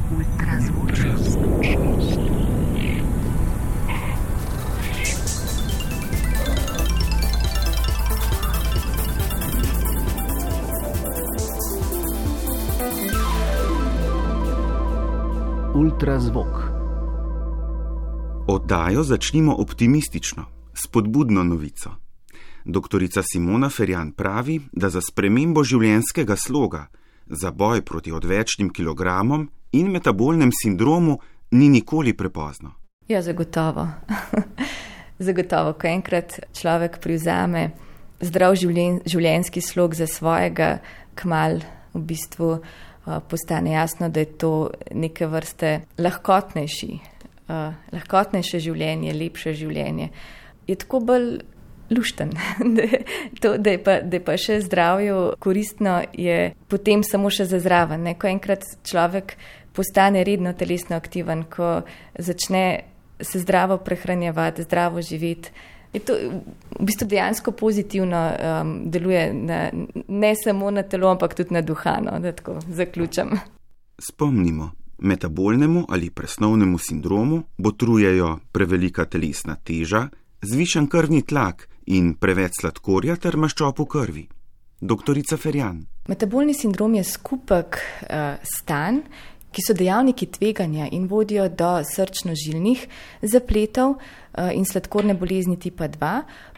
Ultrazvok. Oddajo začnimo optimistično, s spodbudno novico. Doktorica Simona Ferjan pravi, da za spremembo življenjskega sloga, za boj proti odvečnim kilogramom in metabolnem sindromu ni nikoli prepozno. Ja, zagotovo. Zagotovo, ko enkrat človek privzame zdrav življenjski slog za svojega, kmalu v bistvu postane jasno, da je to neke vrste lahkotnejše življenje, lepše življenje. Je tako bolj lušten, da je pa še zdravju koristno, je potem samo še za zraven. Ko enkrat človek postane redno telesno aktiven, ko začne se zdravo prehranjevati, zdravo živeti, je to v bistvu dejansko pozitivno deluje ne samo na telo, ampak tudi na duha, da tako zaključam. Spomnimo, metabolnemu ali presnovnemu sindromu botrujejo prevelika telesna teža, zvišan krvni tlak in preveč sladkorja ter maščob v krvi. Doktorica Ferjan. Metabolni sindrom je skupek stanj, ki so dejavniki tveganja in vodijo do srčno-žilnih zapletov in sladkorne bolezni tipa 2.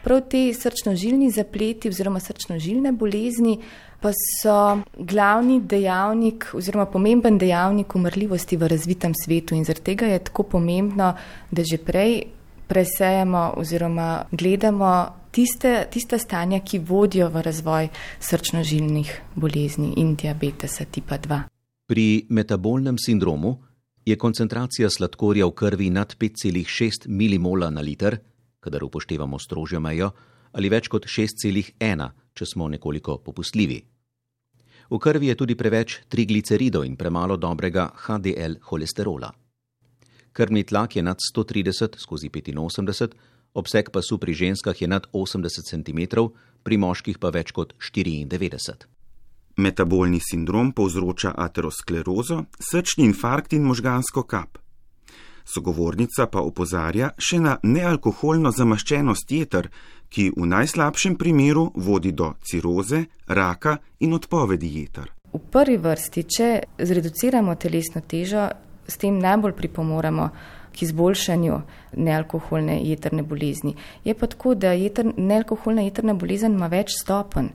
Prav te srčno-žilni zapleti oziroma srčno-žilne bolezni pa so glavni dejavnik oziroma pomemben dejavnik umrljivosti v razvitem svetu in zaradi tega je tako pomembno, da že prej presejemo oziroma gledamo tista stanja, ki vodijo v razvoj srčno-žilnih bolezni in diabetesa tipa 2. Pri metabolnem sindromu je koncentracija sladkorja v krvi nad 5,6 milimola na liter, kadar upoštevamo strožjo mejo, ali več kot 6,1, če smo nekoliko popustljivi. V krvi je tudi preveč trigliceridov in premalo dobrega HDL holesterola. Krvni tlak je nad 130/85, obseg pasu pri ženskah je nad 80 cm, pri moških pa več kot 94. Metabolni sindrom povzroča aterosklerozo, srčni infarkt in možgansko kap. Sogovornica pa opozarja še na nealkoholno zamaščenost jeter, ki v najslabšem primeru vodi do ciroze, raka in odpovedi jeter. V prvi vrsti, če zreduciramo telesno težo, s tem najbolj pripomoremo k izboljšanju nealkoholne jetrne bolezni. Je pa tako, da nealkoholna jetrna bolezen ima več stopenj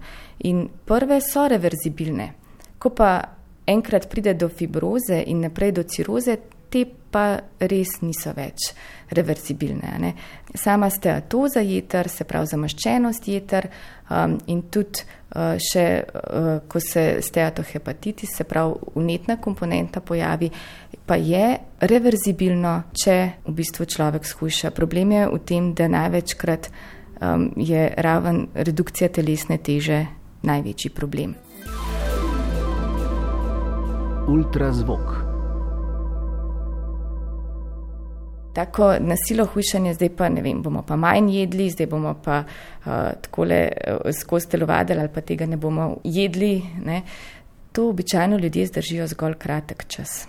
in prve so reverzibilne. Ko pa enkrat pride do fibroze in naprej do ciroze, te pa res niso več reverzibilne. Sama steatoza jeter, se pravi zamaščenost jeter in tudi še, ko se steatohepatitis, se pravi vnetna komponenta pojavi, pa je reverzibilno, če v bistvu človek shujša. Problem je v tem, da največkrat je raven redukcija telesne teže največji problem. Ultrazvok. Tako nasilo hujšanje, zdaj pa ne vem, bomo pa manj jedli, zdaj bomo pa takole skozi telovadili ali pa tega ne bomo jedli. Ne. To običajno ljudje zdržijo zgolj kratek čas.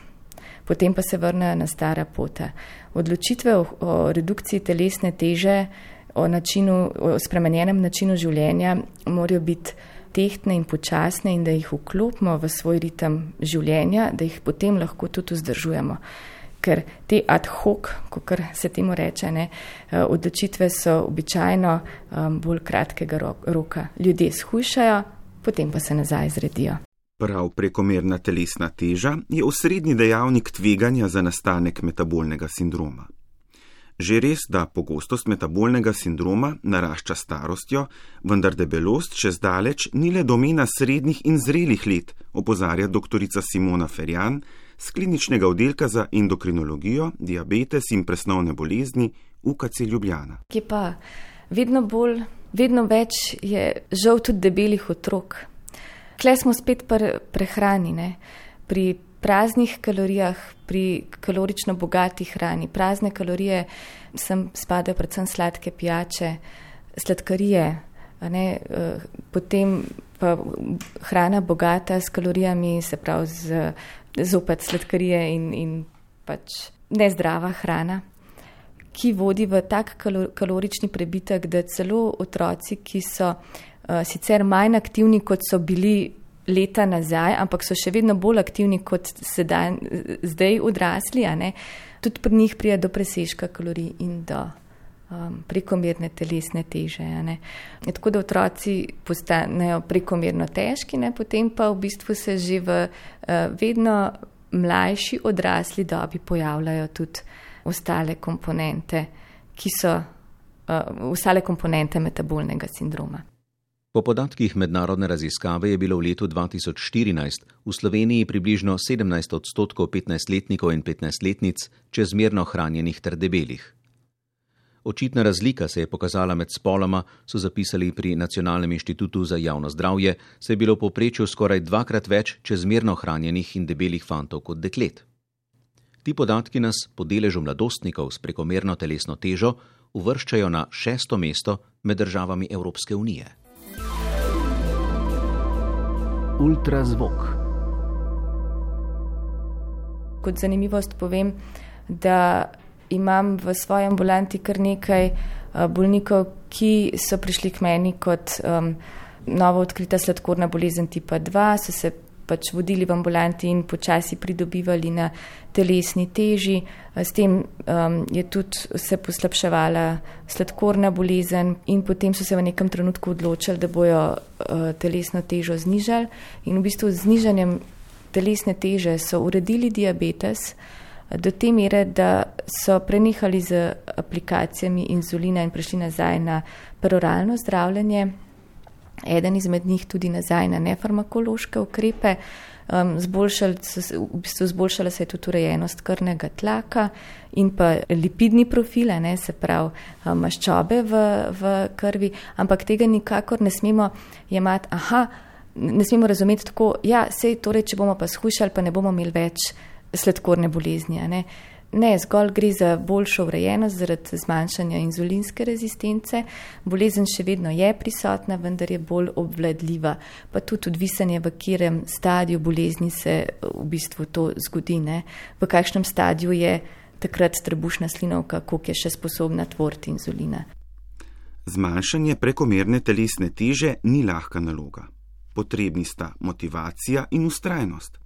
Potem pa se vrnejo na stara pota. Odločitve o redukciji telesne teže, o spremenjenem načinu življenja morajo biti tehtne in počasne in da jih vklopimo v svoj ritem življenja, da jih potem lahko tudi vzdržujemo. Ker te ad hoc, kakor se temu reče, odločitve so običajno bolj kratkega roka. Ljudje shujšajo, potem pa se nazaj zredijo. Prav prekomerna telesna teža je osrednji dejavnik tveganja za nastanek metabolnega sindroma. Že res, da pogostost metabolnega sindroma narašča starostjo, vendar debelost še zdaleč ni le domena srednjih in zrelih let, opozarja doktorica Simona Ferjan z kliničnega oddelka za endokrinologijo, diabetes in presnovne bolezni UKC Ljubljana. Ki pa vedno več je žal tudi debelih otrok. Tle smo spet prehrani, pri praznih kalorijah, pri kalorično bogati hrani. Prazne kalorije sem spadajo predvsem sladke pijače, sladkarije, Potem pa hrana bogata s kalorijami, se pravi zopet sladkarije in pač nezdrava hrana, ki vodi v tak kalorični prebitek, da celo otroci, ki so sicer manj aktivni, kot so bili leta nazaj, ampak so še vedno bolj aktivni kot zdaj odrasli, tudi pri njih pride do presežka kalorij in do prekomerne telesne teže. Tako da otroci postanejo prekomerno težki, potem pa v bistvu se že v vedno mlajši odrasli dobi pojavljajo tudi ostale komponente, ki so ostale komponente metabolnega sindroma. Po podatkih mednarodne raziskave je bilo v letu 2014 v Sloveniji približno 17% 15-letnikov in 15-letnic čezmerno hranjenih ter debelih. Očitna razlika se je pokazala med spoloma, so zapisali pri Nacionalnem inštitutu za javno zdravje, saj je bilo v povprečju skoraj 2-krat več čezmerno hranjenih in debelih fantov kot deklet. Ti podatki nas po deležu mladostnikov s prekomerno telesno težo uvrščajo na 6. mesto med državami Evropske unije. Ultrazvok. Kot zanimivost povem, da imam v svoji ambulanti kar nekaj bolnikov, ki so prišli k meni kot novo odkrita sladkorna bolezen tipa 2, so se pač vodili v ambulanti in počasi pridobivali na telesni teži. S tem je tudi se poslabševala sladkorna bolezen in potem so se v nekem trenutku odločili, da bojo telesno težo znižali in v bistvu z znižanjem telesne teže so uredili diabetes do te mere, da so prenehali z aplikacijami inzulina in prešli nazaj na peroralno zdravljenje. Eden izmed njih tudi nazaj na nefarmakološke ukrepe. Zboljšala se je tudi urejenost krvnega tlaka in pa lipidni profil, se pravi maščobe v krvi, ampak tega nikakor ne smemo jemati, ne smemo razumeti tako, sej torej, če bomo pa shujšali, pa ne bomo imeli več sladkorne bolezni. Ne, zgolj gre za boljšo urejenost zaradi zmanjšanja inzulinske rezistence. Bolezen še vedno je prisotna, vendar je bolj obvladljiva. Pa tudi odvisanje, v katerem stadiju bolezni se v bistvu to zgodi. V kakšnem stadiju je takrat trebušna slinavka, koliko je še sposobna tvoriti inzulina. Zmanjšanje prekomerne telesne teže ni lahka naloga. Potrebni sta motivacija in vztrajnost.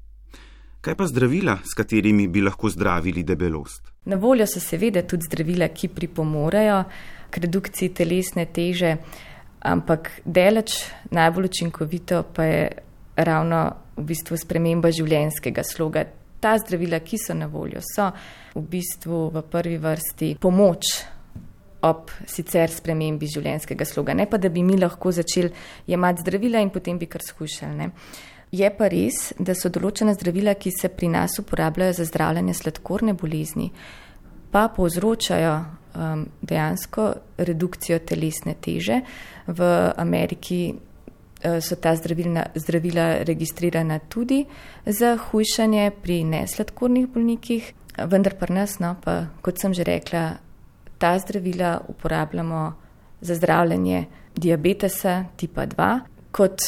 Kaj pa zdravila, s katerimi bi lahko zdravili debelost? Na voljo so seveda tudi zdravila, ki pripomorejo k redukciji telesne teže, ampak daleč najbolj učinkovito pa je ravno v bistvu sprememba življenjskega sloga. Ta zdravila, ki so na voljo, so v bistvu v prvi vrsti pomoč ob sicer spremembi življenjskega sloga. Ne pa, da bi mi lahko začeli jemati zdravila in potem bi kar shujšali. Je pa res, da so določena zdravila, ki se pri nas uporabljajo za zdravljenje sladkorne bolezni, pa povzročajo dejansko redukcijo telesne teže. V Ameriki so ta zdravila registrirana tudi za hujšanje pri nesladkornih bolnikih, vendar pri nas, pa, kot sem že rekla, ta zdravila uporabljamo za zdravljenje diabetesa tipa 2, kot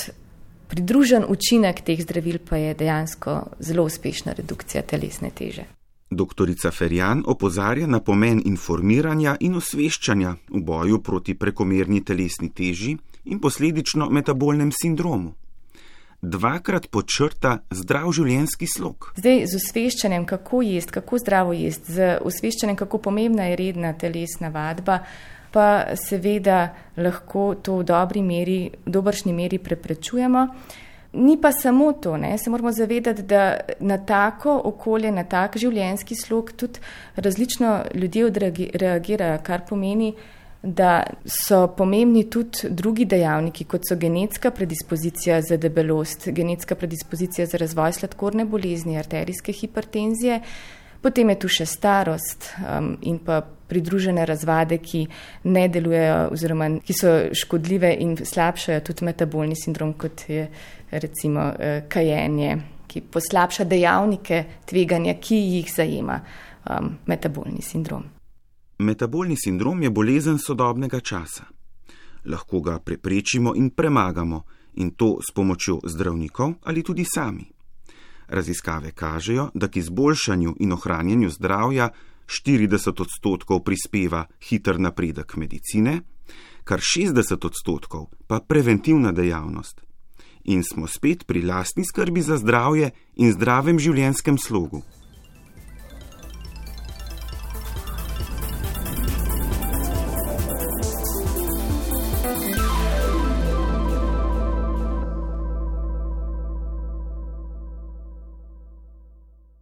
pridružen učinek teh zdravil pa je dejansko zelo uspešna redukcija telesne teže. Doktorica Ferjan opozarja na pomen informiranja in osveščanja v boju proti prekomerni telesni teži in posledično metabolnem sindromu. 2-krat podčrta zdrav življenjski slog. Zdaj z osveščanjem, kako jesti, kako zdravo jesti, z osveščanjem, kako pomembna je redna telesna vadba, pa seveda lahko to v dobršni meri preprečujemo. Ni pa samo to, se moramo zavedati, da na tako okolje, na tak življenjski slog tudi različno ljudje reagirajo, kar pomeni, da so pomembni tudi drugi dejavniki, kot so genetska predispozicija za debelost, genetska predispozicija za razvoj sladkorne bolezni, arterijske hipertenzije. Potem je tu še starost in pa pridružene razvade, ki ne delujejo oziroma ki so škodljive in slabšajo tudi metabolni sindrom, kot je recimo kajenje, ki poslabša dejavnike tveganja, ki jih zajema metabolni sindrom. Metabolni sindrom je bolezen sodobnega časa. Lahko ga preprečimo in premagamo, in to s pomočjo zdravnikov ali tudi sami. Raziskave kažejo, da k izboljšanju in ohranjanju zdravja 40% prispeva hiter napredek medicine, kar 60% pa preventivna dejavnost. In smo spet pri lastni skrbi za zdravje in zdravem življenjskem slogu.